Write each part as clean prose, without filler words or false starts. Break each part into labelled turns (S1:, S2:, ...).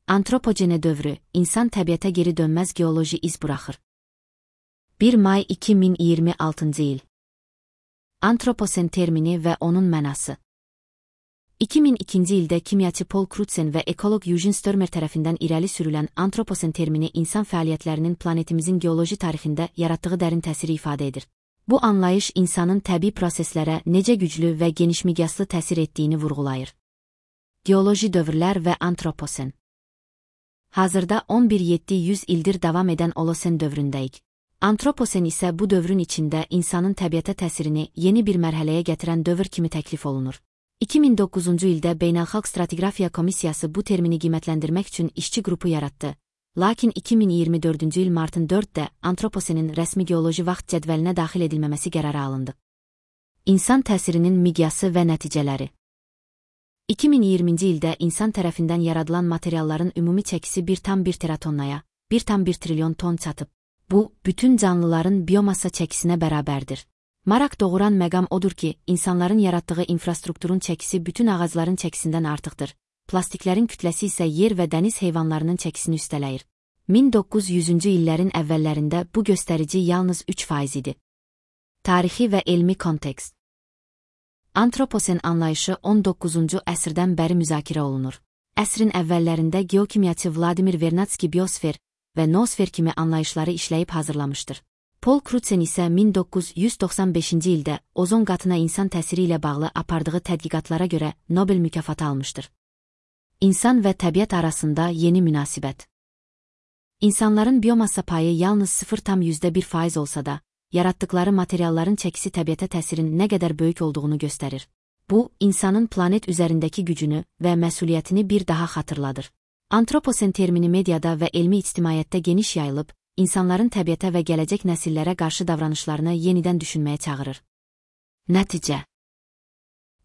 S1: Antropogene dövrü, insan təbiətə geri dönməz geoloji iz buraxır. 1 may 2026 il. Antroposen termini və onun mənası. 2002 ildə kimyaçı Paul Crutzen və ekoloq Eugene Störmer tərəfindən irəli sürülən antroposen termini insan fəaliyyətlərinin planetimizin geoloji tarixində yaratdığı dərin təsiri ifadə edir. Bu anlayış insanın təbii proseslərə necə güclü və genişmiqyaslı təsir etdiyini vurğulayır. Geoloji dövrlər və antroposen. Hazırda 11-700 ildir davam edən Olosen dövründəyik. Antroposen isə bu dövrün içində insanın təbiətə təsirini yeni bir mərhələyə gətirən dövr kimi təklif olunur. 2009-cu ildə Beynəlxalq Stratigrafiya Komissiyası bu termini qiymətləndirmək üçün işçi qrupu yaratdı. Lakin 2024-cü il martın 4-də antroposenin rəsmi geoloji vaxt cədvəlinə daxil edilməməsi qərarı alındı. İnsan təsirinin miqyası və nəticələri. 2020-ci ildə insan tərəfindən yaradılan materialların ümumi çəkisi 1,1 teratonnaya, 1,1 trilyon ton çatıb. Bu, bütün canlıların biomassa çəkisinə bərabərdir. Maraq doğuran məqam odur ki, insanların yaratdığı infrastrukturun çəkisi bütün ağacların çəkisindən artıqdır. Plastiklərin kütləsi isə yer və dəniz heyvanlarının çəkisini üstələyir. 1900-cü illərin əvvəllərində bu göstərici yalnız 3% idi. Tarixi və elmi kontekst. Antroposen anlayışı 19-cu əsrdən bəri müzakirə olunur. Əsrin əvvəllərində geokimyaçı Vladimir Vernadski biosfer və noosfer kimi anlayışları işləyib hazırlamışdır. Paul Crutzen isə 1995-ci ildə ozon qatına insan təsiri ilə bağlı apardığı tədqiqatlara görə Nobel mükafatı almışdır. İnsan və təbiət arasında yeni münasibət. İnsanların biomassa payı yalnız 0,1% olsa da, yaratdıkları materialların çəkisi təbiətə təsirin nə qədər böyük olduğunu göstərir. Bu, insanın planet üzərindəki gücünü və məsuliyyətini bir daha xatırladır. Antroposen termini mediada və elmi ictimaiyyətdə geniş yayılıb, insanların təbiətə və gələcək nəsillərə qarşı davranışlarını yenidən düşünməyə çağırır. Nəticə.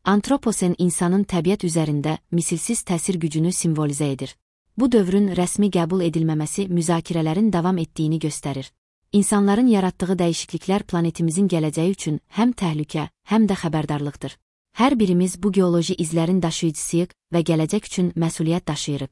S1: Antroposen insanın təbiət üzərində misilsiz təsir gücünü simvolizə edir. Bu dövrün rəsmi qəbul edilməməsi müzakirələrin davam etdiyini göstərir. İnsanların yaratdığı dəyişikliklər planetimizin gələcəyi üçün həm təhlükə, həm də xəbərdarlıqdır. Hər birimiz bu geoloji izlərin daşıyıcısıyıq və gələcək üçün məsuliyyət daşıyırıq.